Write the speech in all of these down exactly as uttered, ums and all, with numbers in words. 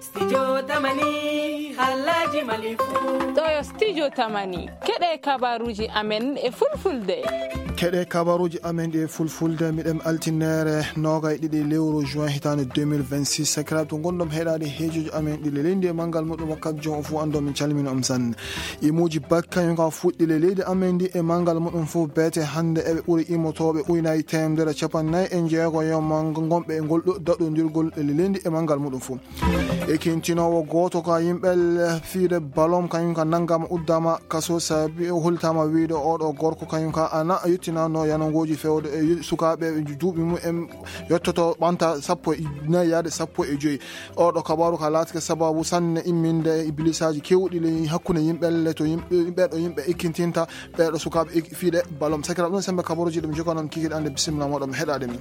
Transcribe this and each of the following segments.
Studio Tamani, Halaji Malifu. Ɗo yo Studio Tamani. Keɗe kabaruji amen e fulfulde. Keɗe kabaruji amen e fulfulde, miɗen altinere nogay ɗiɗi lewru juin hitande deux mille vingt-six. Sakiraaɓe, to ngonɗon heɗaade heejoji amen ɗi le leydi e manngal muɗum, wakkati jom o fof anndo min calmini on sanne. Imuji bakka yon ka fuɗɗi le leydi amen ndi e manngal muɗum fof, beete hannde eɓe ɓuri imotooɓe ujunaji teemedere capanɗe nayi e jeego yon ma ngonɓe e ngol ɗo daɗondirgol le leydi e manngal muɗum fof. E kintinoowo gooto ka yimɓe fiide ballon, kañum ka nanngama uddama kaso sabi o holtama wiide oɗo gorko kañum ka ana yettinano yanangoji fewde e sukaaɓe duuɓi mum en yettoto ɓanta sappo e nayi yaade sappo e joyi. Oɗo kabaru ka laatike sababu sanne imminde e bilisaaji kewɗi le hakkunde yimɓe le to yimɓe, ɓeɗo yimɓe ikkintinta ɓeɗo sukaaɓe ik-, fiide ballon. Sakiraaɓe, ɗum sembe kabaruji ɗum joganon kikiɗe ande bisimilla moɗon heɗaade min.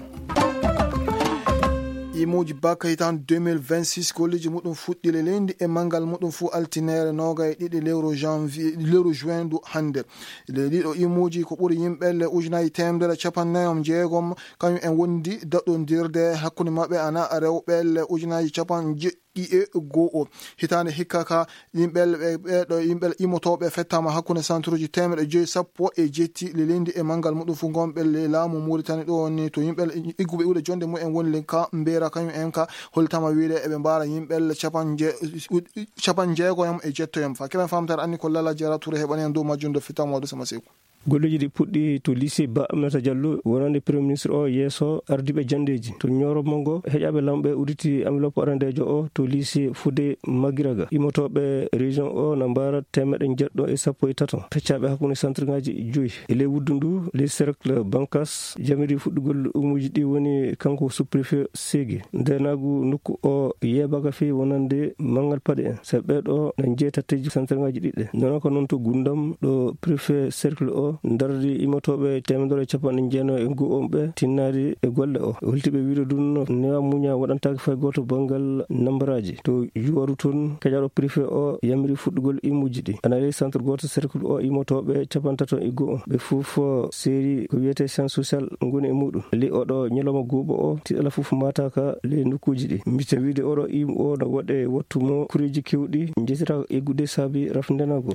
Imuji bakka hitande deux mille vingt-six, golleji muɗum fuɗɗi le leydi e manngal muɗum fof altinere nogay ɗiɗi lewru janvier, lewru juin ndu hannde. Le ɗiɗo imuji ko ɓuri yimɓe le ujunaji teemedere capanɗe nayi e jeegom, kañum en wondi daɗondirde hakkunde maɓɓe ana rewɓe le ujunaji capanɗe jeɗɗi e go'o. Hitande hikka ka, yimɓe ɓe, ɓeɗo yimɓe imotooɓe fettama hakkunde centre uji teemedde joyi sappo e jetti le leydi e manngal muɗum fof gonɓe le laamu Mauritanie ɗo ni to yimɓe igguɓe iwde jonde mumen woni le ka Mbera, kañum en ka holtama wiide eɓe mbaara yimɓe le capanɗe je-, capanɗe jeegoyam e jettoyam. Fa keɓen famtere anni ko Lala Jara Touré heɓani en dow majjum do fitamo do sama seku. Golleji ɗi puɗɗi to lycée Ba Aminata Diallo, wonande Premier Ministre o yeeso ardiiɓe janndeeji. To Nioro Mongo, heƴaaɓe lamɓe udditi enveloppe arandeejo o to lycée Fodé Magiraga. Immotooɓe région o na mbaara teemeɗɗe njeɗɗo e sappo e tato, peccaaɓe hakkunde centre ŋaaji joyi. E ley wuddu ndu, ley cercle Bankas, jamiri fuɗɗugol umuuji ɗi woni kanko sous-préfet Ségué. Ndeenaagu nokku o yeebaaka feewi wonande manngal paɗe en. Sabi ɓee ɗo na njeeya tatteeji centre ŋaaji ɗiɗi. Noon ko noon to Gundam, ɗo préfet cercle o dardi immotooɓe teemedere e capanɗe jeenayi e go'o on ɓe tinnaade e golle o. Holti ɓe wiide ɗum no newa muña waɗantaake fay gooto banngal nambaraaji. To Juwaru toon, keƴaaɗo préfet o yamiri fuɗɗugol imuuji ɗi. Ana e centre gooto cercle o immotooɓe capanɗe tato e go'o. Ɓe fof seeri ko wiyetee science sociale ngoni e muɗum. Li oɗo ñalawma goobo o, tiɗala fof maataaka ley nokkuuji ɗi. Mbite wiide oɗo imu o no waɗe wattu mo kureeji kewɗi njetira eggude saabi rafndenaago.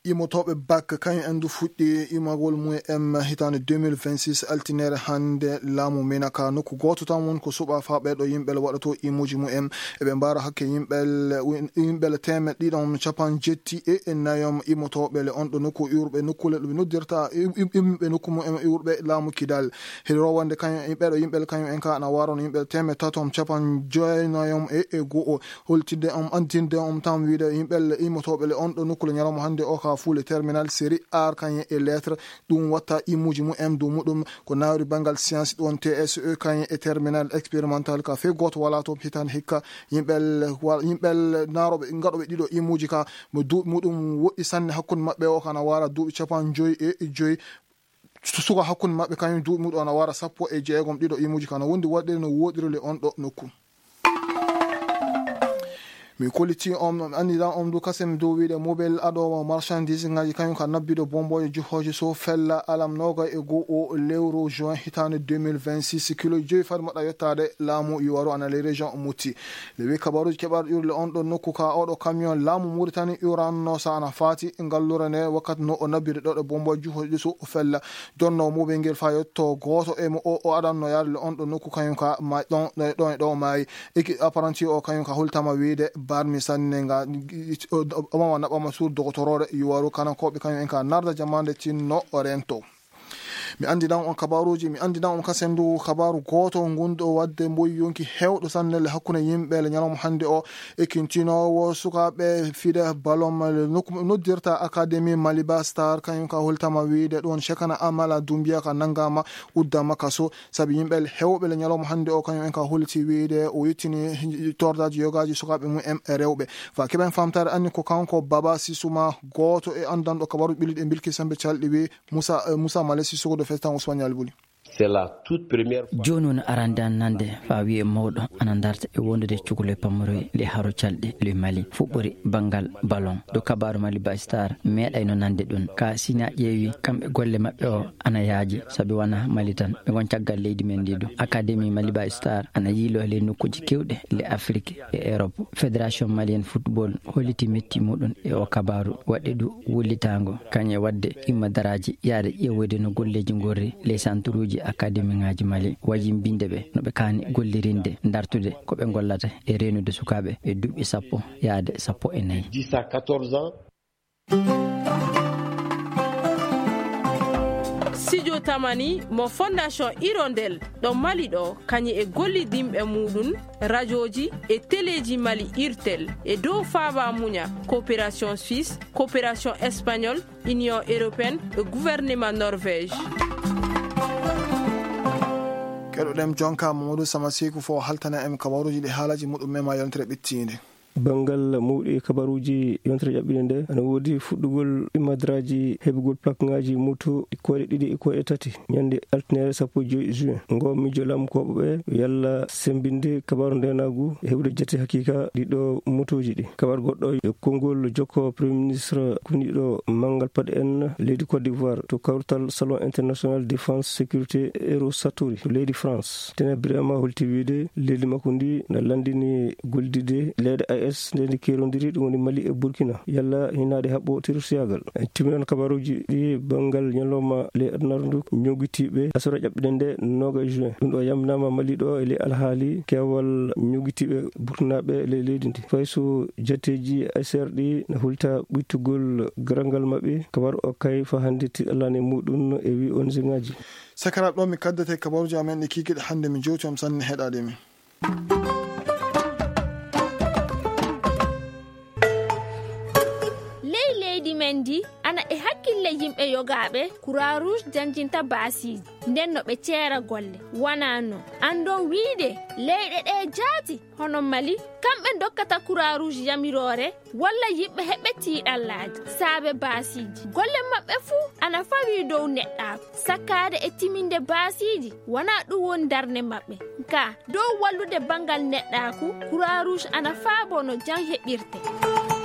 Imotooɓe bak kañum en du fuɗɗi imagol mum en hitande deux mille vingt-six altinere hannde laamu Minaka. Nokku gooto tan won ko suɓa fa ɓeɗo yimɓe le waɗoto imuuji mum en. Eɓe mbaara hakke yimɓe le, yimɓe le teemeɗɗe ɗiɗon capanɗe jetti e nayom imotooɓe le on ɗo nokku iwruɓe nokku le ɗo ɓe noddirta im-, im-, imɓe nokku mum en iwruɓe laamu Kidal. Heli rowande kañum, ɓeɗo yimɓe le kañum en ka ana warono yimɓe le teemeɗɗe tato capanɗe jeenayom e, e go'o. Holtinde on, andinde on tan wiide yimɓe le immotooɓe le on ɗo nokku le ñalawma hannde o ka fuule terminal série art kañum e lettre. Ɗum watta imuuji mum en dow muɗum ko nawri banngal science ɗon T S E kañum e terminal expérimental ka fey gooto wala to hitande hikka. Yimɓe le wa-, yimɓe le naroɓe gaɗoɓe ɗiɗo imuuji ka mo duuɓi muɗum woɗɗi sanne hakkunde maɓɓe o kana wara duuɓi capanɗe joyi e joyi. Su-, suka hakkunde maɓɓe kañum duuɓi muɗum ana wara sappo e jeegom ɗiɗo imuuji kana wondi waɗde no woɗiri le on ɗo nokku. Mi kolliti on, mi anndidan on du kasen dow wiide mobile aɗowo marchandise ngaji kañum ka nabbido bomboje juhoje so fella alam nogay e go'o lewru juin hitande deux mille vingt-six, kilo joyi fadi maɗa yettade laamu Yuwaru ana ley région Mouti. Le wi kabaruji keɓaɗo ƴurle on ɗo nokku ka oɗo camion laamu Mauritanie uranno sa ana faati ngallure nde wakkati no o nabbido ɗo ɗo bomboje juhoje so fella. Jonno mobile ngel fa yetto gooto e mo o, o adanno yaade le on ɗo nokku kañum ka ma-, ɗon, ɗon, ɗon e ɗo maayi. Eki apprenti o kañum ka hultama wiide barmi sanne nga, o, o, o mama naɓama sur dogotoroore Yuwaru kanankoɓe kañum en ka narda jamande tinno o rento. Mi andinan on kabaruji, mi andinan on kasen du kabaru gooto ngun ɗo wadde mboyi yonki hewɗo sanne le hakkunde yimɓe le ñalawma hannde o. Ekintinowo sukaaɓe fide ballon le nokku noddirta Académie Maliba Star, kañum ka holtama wiide ɗon Cheikhana Amala Doumbia ka nanngama uddama kaso, sabi yimɓe hewɓe le ñalawma hannde o, kañum en ka holti wiide o yettini tordaaji yogaaji sukaaɓe mum en rewɓe. Fa keɓen famtaare anni ko kanko Baba Sissouma, gooto e anndanɗo kabaru ɓilliɗe bilki sembe calɗi wi Moussa, eh, Moussa Malé Sissoko do Festan Ousmane Yalbuli. C'est la toute première fois. Jooni woni arande an nande faa wi'e mawɗo ana darta e wondude cukule pamoroy le haro calɗi le Mali fuɓɓori banngal ballon. Do kabaaru Mali Baystar meeɗayno nande ɗum. Ka sina ƴeewi kamɓe golle maɓɓe o ana yaaji sabi wana Mali tan. Ɓe ngon caggal leydi men ndi do. Akademi Mali Baystar ana yiilo le nokkuji kewɗe le Afrique e Europe. Fédération Malienne Football holliti metti muɗum e o kabaaru waɗde du wullitaango. Kañe waɗde imma daraaji yaade ƴeewoyde no golleeji ngorri ley santuruuji akademiŋaaji Mali, wajimbinde ɓe no ɓe kaani gollirinde, dartude ko ɓe ngollata e reenude sukaaɓe ɓe duuɓi sappo yaade sappo e nayi. dix à quatorze ans. Sijo tamani mo Fondation Hirondelle ɗo Mali ɗo, kañum e gollidinɓe muɗum, rajooji e teleeji Mali, Irtel, e dow faaba muña, coopération suisse, coopération espagnole, Union européenne e gouvernement Norvège. Keɗoɗen jonka Mamadou Samasiku fo haltana en kabaruji ɗi haalaji muɗum mema yontere ɓittiinde. Banngal mawɗi e kabaruuji yontere ƴaɓɓiinde nde, ana woodi fuɗɗugol imadraaji heɓugol plakŋaaji moto e koyɗe ɗiɗi e koyɗe tati, ñande altine sappo e joy juin. Ngo miijo laamkooɓe ɓe yalla semmbinde kabaaru ndeenaagu e heɓude jate hakiika ɗiɗo motooji ɗi. Kabaaru goɗɗo e konngol jokko Premier Ministre kuniɗo manngal paɗe en leydi Côte d'Ivoire to kawtal Salon International Défense Sécurité Euro Satori to leydi France. Tene Birama holti wiide leydi makko ndi na lanndini gollidde leyɗe A E S nde ndi keerondiri, ɗum woni Mali e Burkina, yalla hinaade haɓɓo terroristiyaagal. En timminan kabaruuji ɗi banngal ñalawma ley adunaaru ndu, ñogitiiɓe asara ƴaɓɓiɗe nde nooga juin. Ɗum ɗo yamnaama Mali ɗo e ley alhaali keewal ñogitiiɓe burkinaaɓe ley leydi ndi. Fay so jateeji A S R ɗi na hulta ɓuytugol garangal maɓɓe, kabaru o kay fa hannde tiɗalani muɗum e wi O N G ŋaaji. Sakara ɗo mi kaddete kabaruuji amen ɗi kikiɗe hannde mi jowti on sanne heɗaade mi. Ley leydi men ndi, ana e hakkille yimɓe yogaaɓe Croix Rouge janjinta baasiiji, nden no ɓe ceera golle. Wanaa non, anndon wiide leyɗe ɗe jaati, hono Mali, kamɓe dokkata Croix Rouge yamiroore, walla yimɓe heɓɓe tiiɗallaaji saabe baasiiji. Golle maɓɓe fuu ana fawii dow neɗɗaaku, sakkaade e timinde baasiiji, wanaa ɗum woni darnde maɓɓe. Ka dow wallude banngal neɗɗaaku, Croix Rouge ana faabo no jam heɓirte.